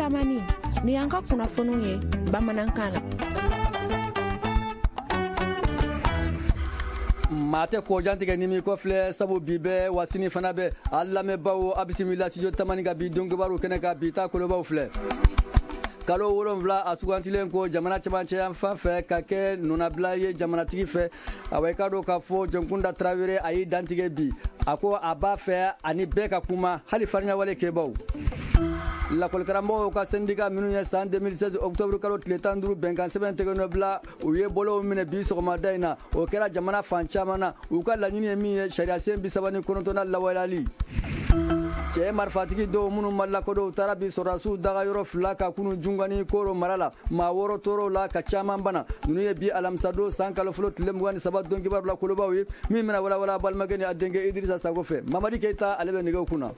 Tamani, ni y'an ka kunnafoniw ye bamanankan na. Maa tɛ kɔjan tigɛ ni m'i kɔfilɛ, sabu bi bɛɛ wa sini fana bɛ. A lamɛnbaaw, a bisimila studio Tamani ka bi don kibaru kɛnɛ kan. Bi ta kolobaw filɛ. Kalo 7 a sugantilen ko jamana cɛmancɛ yan fan fɛ ka kɛ nɔnabila ye jamanatigi fɛ. Awa, i k'a dɔn k'a fɔ Jɔnkunda Tarawele a y'i dantigɛ bi. A ko a b'a fɛ ani bɛɛ ka kuma, hali fariɲawale kɛbaw. Lakɔlikaramɔgɔw ka syndicat minnu ye san 2016 octobre kalo tile 15 bɛnkan sɛbɛn tɛgɛnɔbila, u ye bolow minɛ bi sɔgɔmada in na. O kɛra jamana fan caman na. U ka laɲini ye min ye, sariya sen 39nan lawaleyali. Cɛ marifatigi dɔw minnu ma lakodɔn, u taara bi sɔrɔdasiw daga yɔrɔ fila ka kunu Jungani Koro mara la. Maa wɔɔrɔ tɔɔrɔw la, ka caman bana. Ninnu ye bi alamisadon san kalo fɔlɔ tile 23 don kibaru la kolobaw ye, min bɛna walawala balimakɛ ni a denkɛ Idirisa Sago fɛ. Mamadi Keyita, ale bɛ nɛgɛw kunna.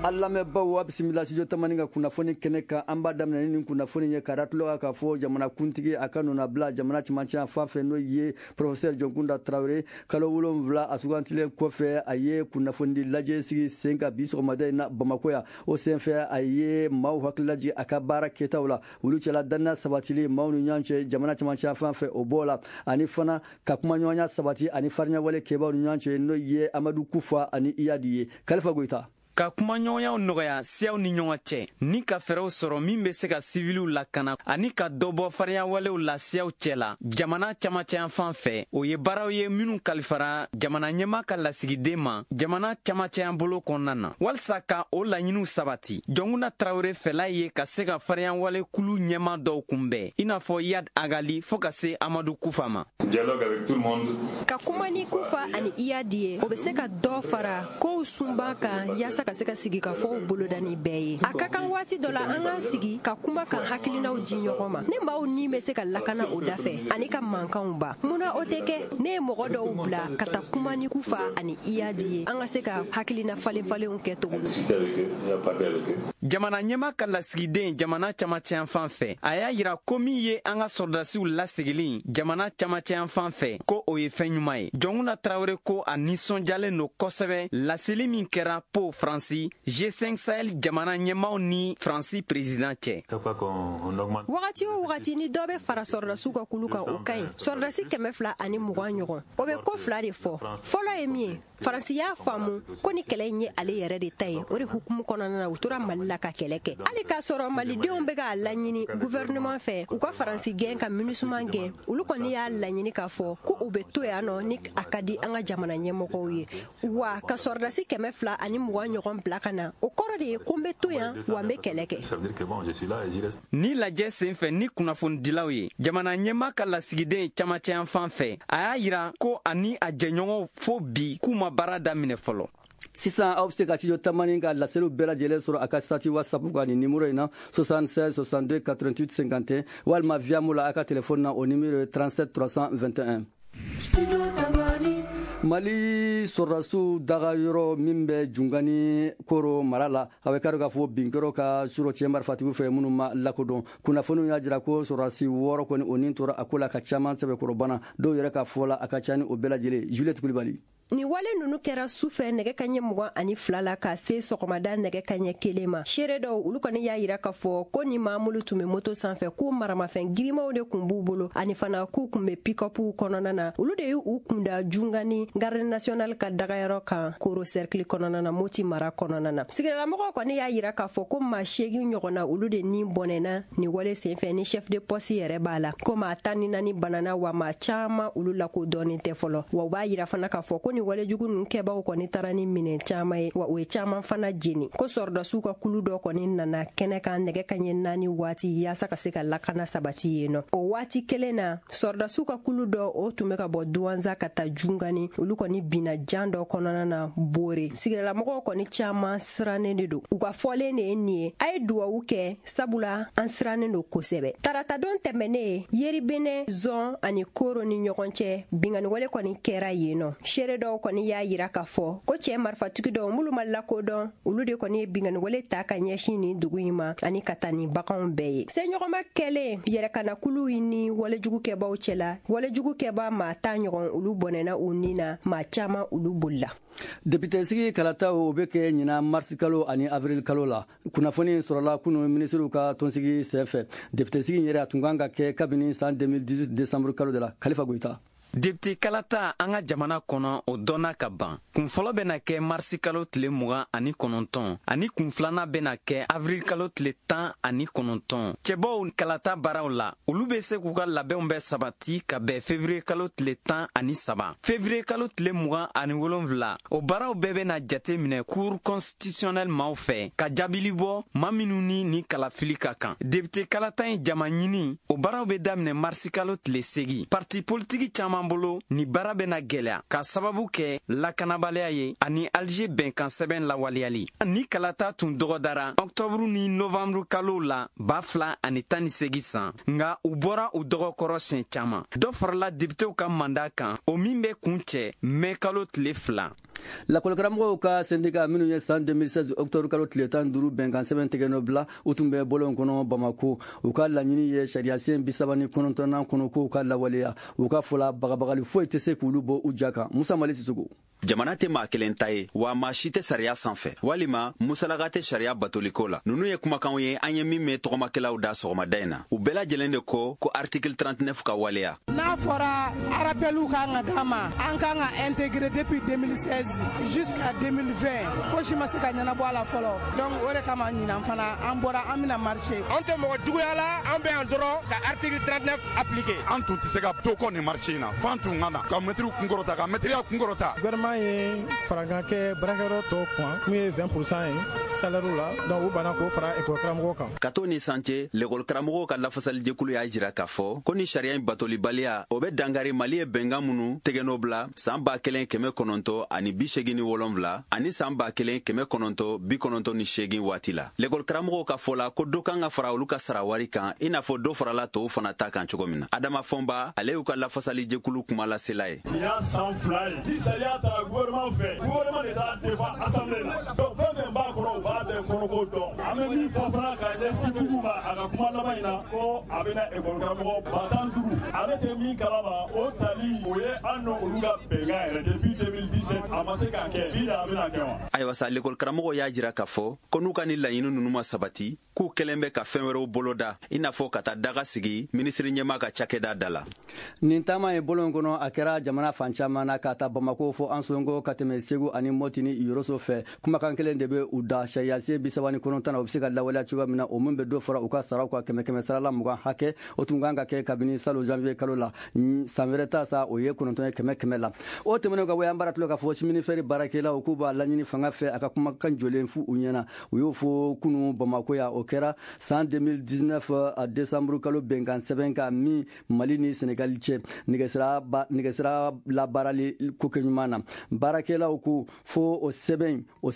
An lamɛnbaw, a bisimila studio Tamani ka kunnafoni kɛnɛ kan. An b'a daminɛ ni nin kunnafoni ye ka da tulo kan k'a fɔ jamanakuntigi a ka nɔnabila jamana cɛmancɛ fan fɛ, n'o ye professeur Jɔnkunda Tarawele. Kalo 7 a sugantilen kɔfɛ, a ye kunnafonidi lajɛ sigi sen kan bi sɔgɔmada in na Bamakɔ yan. O senfɛ, a ye maaw hakili lajigin a ka baara kɛtaw la, olu cɛla danaya sabatili maaw ni ɲɔgɔn cɛ jamana cɛmancɛ fan fɛ, o b'o la, ani fana ka kumaɲɔgɔnya sabati ani fariɲawale kɛbaw ni ɲɔgɔn cɛ, n'o ye Amadu Kufa ani Iyadi ye. Kalifa Goyita. Ka kumaɲɔgɔnyaw nɔgɔya siyaw ni ɲɔgɔn cɛ, ni ka fɛɛrɛw sɔrɔ min bɛ se ka siviliw lakana, ani ka dɔ bɔ fariyawalew la siyaw cɛ la jamana camancɛyanfan fɛ, o ye baaraw ye minnu kalifara jamana ɲɛma ka lasigiden ma jamana camancɛyan bolo kɔnɔna na. Walisa ka o laɲiniw sabati, Jɔnkunda Tarawele fɛla ye ka se ka fariyawale kulu ɲɛma dɔw kunbɛn, i n'a fɔ Iyad Agali fɔɔ ka se Amadu Kufa ma. Dialogue avec tout le monde. Ka kuma ni Kufa ani Iyadi ye, o bɛ se ka dɔ fara kow sunba kan, yaasa ka se ka sigikafɔw boloda ni bɛɛ ye. A ka kan waati dɔ la an k'an sigi ka kuma, kan hakilinaw di ɲɔgɔn ma. Ne maaw ni bɛ se ka lakana o da fɛ ani ka mankanw ba. Munna o tɛ kɛ? Ne ye mɔgɔ dɔw bila ka taa kuma ni Kufa ani Iyadi ye, an ka se ka hakilina falen falenw kɛ cogo min. Jamana ɲɛma ka lasigiden jamana camancɛyanfan fɛ, a y'a yira ko min ye an ka sɔrɔdasiw lasegili jamana camancɛyanfan fɛ, ko o ye fɛn ɲuman ye. Jɔnkunda Tarawele ko a nisɔndiyalen don kosɛbɛ laseli min kɛra Po Faransi G5 Sahel jamana ɲɛmaw ni Faransi président cɛ. Wagati o wagati ni dɔ bɛ fara sɔrɔdasiw ka kulu kan, o ka ɲi. Sɔrɔdasi 220 ɲɔgɔn, o bɛ ko fila de fɔ. Fɔlɔ ye min ye, Faransi y'a faamu ko ni kɛlɛ in ye ale yɛrɛ de ta ye. O de hukumu kɔnɔna na, u tora Mali la ka kɛlɛ kɛ, hali k'a sɔrɔ malidenw bɛ k'a laɲini gouvernement fɛ u ka Faransi gɛn, ka MINUSMA gɛn. Olu kɔni y'a laɲini k'a fɔ ko u bɛ to yan nɔ ni a ka di an ka jamana ɲɛmɔgɔw ye. Wa ka sɔrɔdasi 220 ɲɔgɔn bila ka na, o kɔrɔ de ye ko n bɛ to yan, wa n bɛ kɛlɛ kɛ. Ni lajɛ sen fɛ ni kunnafonidilaw ye, jamana ɲɛma ka lasigiden camancɛyanfan fɛ, a y'a yira ko ani a jɛɲɔgɔnw fo bi k'u ma baara daminɛ fɔlɔ. Sisan, aw bɛ se ka studio Tamani ka laseliw bɛɛ lajɛlen sɔrɔ a ka statut WhatsApp kan nin numéro in na: 76 62 88 51, walima Viamo la a ka téléphone na, o numéro ye 37 321. Mali sɔrɔdasiw daga yɔrɔ min bɛ Jungani Koro mara la, a bɛ kari k'a fɔ binkɛrɔ ka surɔ cɛ marifatigiw fɛ minnu ma lakodɔn. Kunnafoniw y'a jira ko sɔrɔdasi wɔɔrɔ kɔni o nin tora a ko la, ka caman sɛbɛkɔrɔbana. Dɔw yɛrɛ ka fɔ la, a ka ca ni o bɛɛ lajɛlen. Juliette Kulibali. Nin wale nunu kɛra su fɛ nɛgɛ kaɲɛ 22 la ka se sɔgɔmada nɛgɛ kaɲɛ 1 ma. Seere dɔw, olu kɔni y'a yira k'a fɔ ko ni maa minnu tun bɛ moto sanfɛ, k'u maramafɛn girimaw de kun b'u bolo, ani fana k'u kun bɛ pick-upw kɔnɔna na. Olu de y'u kunda Jungani garde national ka dagayɔrɔ kan Koro cercle kɔnɔna na, Moti mara kɔnɔna na. Sigidalamɔgɔw kɔni y'a yira k'a fɔ ko maa 8 ɲɔgɔnna, olu de ni bɔnɛna nin wale senfɛ, ni chef de poste yɛrɛ b'a la, ko maa 14 banana, wa maa caaman olu lakodɔnnen tɛ fɔlɔ. Wa u b'a yira fana k'a fɔ ko ni walejugu ninnu kɛbaw kɔni taara ni minɛn caaman ye, wa u ye caaman fana jeni. Ko sɔrɔdasiw ka kulu dɔ kɔni nana kɛnɛ kan nɛgɛ kaɲɛ 4 waati, yaasa ka se ka lakana sabati yen nɔ. O waati kelen na, sɔrɔdasiw ka kulu dɔ, o tun bɛ ka bɔ Duwanza ka taa Jungani, olu kɔni binna jan dɔ kɔnɔna na Bore. Sigidalamɔgɔw kɔni caaman sirannen de don. U ka fɔlen de ye nin ye: a ye duwawu kɛ, sabula an sirannen don kosɛbɛ. Taratadon tɛmɛnen, Yeribenɛ zɔn ani Koro ni ɲɔgɔn cɛ, binganiwale kɔni kɛra yen nɔ. Seere dɔw Seerebaw kɔni y'a yira k'a fɔ ko cɛɛ marifatigi dɔw minnu ma lakodɔn, olu de kɔni ye binkanniwale ta ka ɲɛsin nin dugu in ma ani ka taa ni baganw bɛɛ ye. Seɲɔgɔnma kɛlen yɛrɛkanakuluw ni walejugukɛbaw cɛla, walejugukɛba maa 10 ɲɔgɔn olu bɔnɛna u ni na, maa caman olu bolila. Député sigi kalataw, o bɛ kɛ ɲinan marisi kalo ani avril kalo la. Kunnafoni sɔrɔla kunu minisiriw ka tɔnsigi senfɛ. Député sigi yɛrɛ, a tun kan ka kɛ kabini san 2018 décembre kalo de la. Kalifa Goyita. Député kalata an ka jamana kɔnɔ, o dɔnna ka ban. Kun fɔlɔ bɛna kɛ marisi kalo tile 29, ani kun filanan bɛna kɛ avril kalo tile 19. Cɛbɔw kalata baaraw la, olu be se k'u ka labɛnw bɛɛ sabati ka bɛn février kalo tile 13. Février kalo tile 27, o baaraw bɛɛ bɛna jate minɛ Cour constitutionnelle maaw fɛ ka jaabili bɔ maa minnu ni kalafili ka kan. Député kalata ye jama ɲini, o baaraw be daminɛ marisi kalo tile 8. Parti politiki caaman bolo, ni baara bɛna gwɛlɛya ka sababu kɛ lakanabaliya ye ani Alger bɛnkan sɛbɛn lawaleyali. Ni kalata tun dɔgɔdara ɔktɔburu ni novanburu kalow la 2018 san, nga u bɔra u dɔgɔkɔrɔ siɲɛ caaman. Dɔ farala députéw ka mandat kan, o min bɛ kun cɛ mɛ kalo tile 2. Lakɔlikaramɔgɔw ka syndicat minnu ye san 2016 octobre kalo tile 15 bɛnkan sɛbɛn tigɛ bila, u tun bɛ bɔlɔn kɔnɔ Bamako. U ka laɲini ye sariyasen 39nan kɔnɔ k'u ka lawaleya. U ka fɔla, bagabagali foyi tɛ se k'olu bɔ u ja kan. Musa Mali Sisoko. Jamana tɛ maa kelen ta ye, wa maa si tɛ sariya sanfɛ walima musalaka tɛ sariya batoliko la. Nunu ye kumakanw ye an ye min mɛn tɔgɔmakɛlaw da sɔgɔmada in na. U bɛɛ lajɛlen de ko ko article 39 ka waleya. N'a fɔra rappel kan ka d'an ma, an kan ka intégrer depuis 2016 jusqu'à 2020, fosi ma se ka ɲɛnabɔ a la fɔlɔ. Donc o de kama ɲinan fana an bɔra, an bɛna marcher. An tɛ mɔgɔ juguya la, an bɛ yan dɔrɔn ka article 39 appliquer. An tun tɛ se ka to kɔ nin marché in na, f'an tun ka na ka mɛtiriw kunkɔrɔta, ka mɛtiriya kunkɔrɔta. Gouvernement ye farankan kɛ baarakɛyɔrɔ tɔw kan min ye 20% ye salaire la, donc u banna k'o fara école karamɔgɔw kan. Ka to ni san cɛ, lekɔli karamɔgɔw ka lafasalijɛkulu y'a jira k'a fɔ ko ni sariya in batolibaliya, o bɛ dangari Mali ye bɛnkan minnu tɛgɛnɔ bila san 1987 ani san 1998 waati la. Lekɔli karamɔgɔw ka fɔ la ko dɔ kan ka fara olu ka sara wari kan, i n'a fɔ dɔ farala tɔw fana ta kan cogo min na. Adama Fɔnba, ale y'u ka lafasalijɛkulu kumalasela ye. Nin y'a san 2 ye ni sariya taara gouvernement fɛ, gouvernement de taara défend assemblée la. Donc fɛn fɛn b'a kɔnɔ, u b'a bɛɛ kɔnɔko dɔn. An bɛ min fɔ fana ka ɲɛsin jugu ma a ka kuma laban in na, ko a bɛna école karamɔgɔ 15 000, ale tɛ min kalama, o tali o ye an n'olu ka bɛnkan yɛrɛ depuis 2017, a ma se k'a kɛ, bi de a bɛna kɛ wa? Ayiwa sa, lekɔli karamɔgɔw y'a jira k'a fɔ ko n'u ka ni laɲini ninnu ma sabati, k'u kɛlen bɛ ka fɛn wɛrɛw boloda, i n'a fɔ ka taa daga sigi minisiri ɲɛma ka cakɛda da la. Nin taama ye bɔlɔn kɔnɔ, a kɛra jamana fan caman na, ka ta Bamako fɔ Ansongo, ka tɛmɛ Segu ani Mɔti ni Yoroso fɛ. Kumakan kelen de bɛ u da: sariyasen 39 na, o bɛ se ka lawaleya cogoya min na, o min bɛ dɔ fara u ka saraw kan kɛmɛ kɛmɛ sarala 20 hakɛ. O tun kan ka kɛ kabini salon janvier kalo la. San wɛrɛ ta sa, o ye 9 ye kɛmɛ kɛmɛ la. O tɛmɛnen ka bɔ, an baara tulo k'a fɔ chemin de fer baarakɛlaw k'u b'a laɲini fanga fɛ a ka kumakan jɔlen fu u ɲɛna. U y'o fɔ kunu Bamako yan. O kɛra san 2019 a décembre kalo bɛnkan sɛbɛn kan min Mali ni Senegali cɛ, nɛgɛsira labaarali ko kɛ ɲuman na. Baarakɛlaw ko fo o sɛbɛn o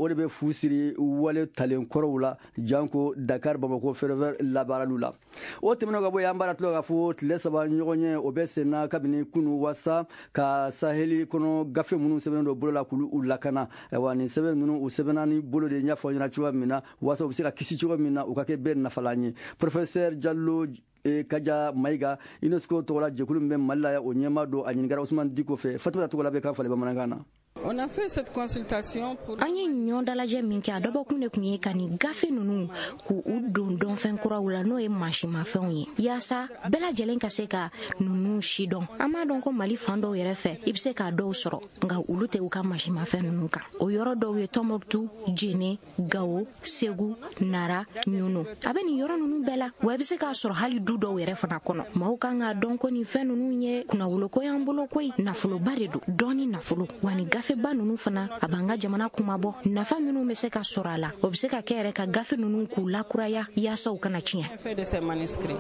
de bɛ fu siri wale talen kɔrɔw la, janko Dakar Bamako ferroviaire labaaraliw la. O tɛmɛnen ka bɔ yen, an b'a tulo k'a fɔ tile 3 ɲɔgɔn ye, o bɛ senna kabini kunu, wasa ka saheli kɔnɔ gafe minnu sɛbɛnnen don bolo la k'olu u lakana. Ayiwa, nin sɛbɛn ninnu, u sɛbɛnna ni bolo de ɲɛfɔ ɲɛna cogoya min na, wasa u bɛ se ka kisi cogo min na, u ka kɛ bɛɛ nafalan ye. Professeur Jalo Kaja Mayiga, UNESCO tɔgɔla jɛkulu min bɛ Mali la, o ɲɛmaa don. A ɲininkara Usumani Diko fɛ. Fatumata tɔgɔla bɛ kan falen bamanankan na. On a fait cette consultation pour. An ye ɲɔ dalajɛ min kɛ, a dɔbɔkun de tun ye ka nin gafe ninnu k'u u don dɔnfɛn kuraw la, n'o ye mansimafɛnw ye, yaasa bɛɛ lajɛlen ka se ka ninnu si dɔn. An b'a dɔn ko Mali fan dɔw yɛrɛ fɛ, i be se k'a dɔw sɔrɔ, nka olu tɛ u ka mansimafɛn ninnu kan. O yɔrɔ dɔw ye Tɔnbɔkutu, Jene, Gawo, Segu, Nara, Ɲono. A bɛ nin yɔrɔ ninnu bɛɛ la wa, i be se k'a sɔrɔ hali du dɔw yɛrɛ fana kɔnɔ. Maaw kan k'a dɔn ko nin fɛn ninnu ye kunnawoloko y'an bolo koyi, nafoloba de don, dɔɔni nafolo wa. Nin gafeba ninnu fana, a b'an ka jamana kumabɔ. Nafa minnu bɛ se ka sɔrɔ a la, o bɛ se ka kɛ yɛrɛ ka gafe ninnu k'u lakuraya yaasa u kana tiɲɛ. Fait de ces manuscrits.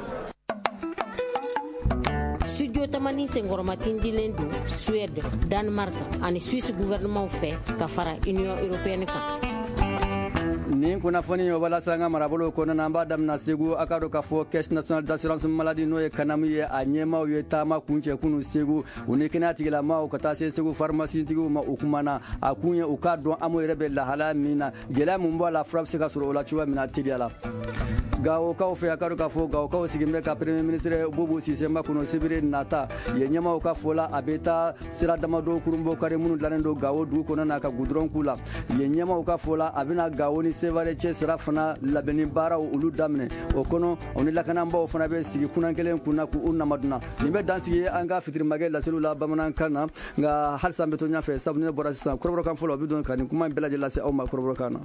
Studio Tamani senkɔrɔmatindilen don Suède, Danemark ani Suisse gouvernement fɛ ka fara Union européenne kan. Nin kunnafoni o walasa an ka marabolo kɔnɔna na, an b'a damina Segu. A ka dɔn k'a fɔ Caisse nationale d'assurance maladie, n'o ye CANAM ye, a ɲɛmaaw ye taama kuncɛ kunu Segu. U ni kɛnɛya tigilamaw ka taa se Segu pharmacie-tigiw ma, u kumana. A kun ye u k'a dɔn AMO yɛrɛ bɛ lahalaya min na, gɛlɛya mun b'a la, fura bɛ se ka sɔrɔ o la cogoya min na teliya la. Gawokaw fɛ, a ka dɔn k'a fɔ Gawokaw sigin bɛ ka Premier ministre Boubou Cissé makɔnɔ sibiri nata. Yen ɲɛmaaw ka fɔ la, a bɛ taa sira damadɔ kurunbɔ kari minnu dilannen don Gawo dugu kɔnɔ na ka goudron k'u la. Yen ɲɛmaaw ka fɔ la, a bɛna Gawo ni Sevare cɛ sira fana labɛnni baaraw olu daminɛ. O kɔnɔ, o ni lakanabaaw fana bɛ sigi kunan kelen kunna k'u namaduna. Nin bɛ dan sigi an ka fitirimakɛ laseliw la bamanankan na, nka halisa an bɛ to ɲɛfɛ, sabu ne bɔra sisan kɔrɔbɔrɔkan fɔlɔ, o bɛ don ka nin kuma in bɛɛ lajɛlen lase aw ma kɔrɔbɔrɔkan na.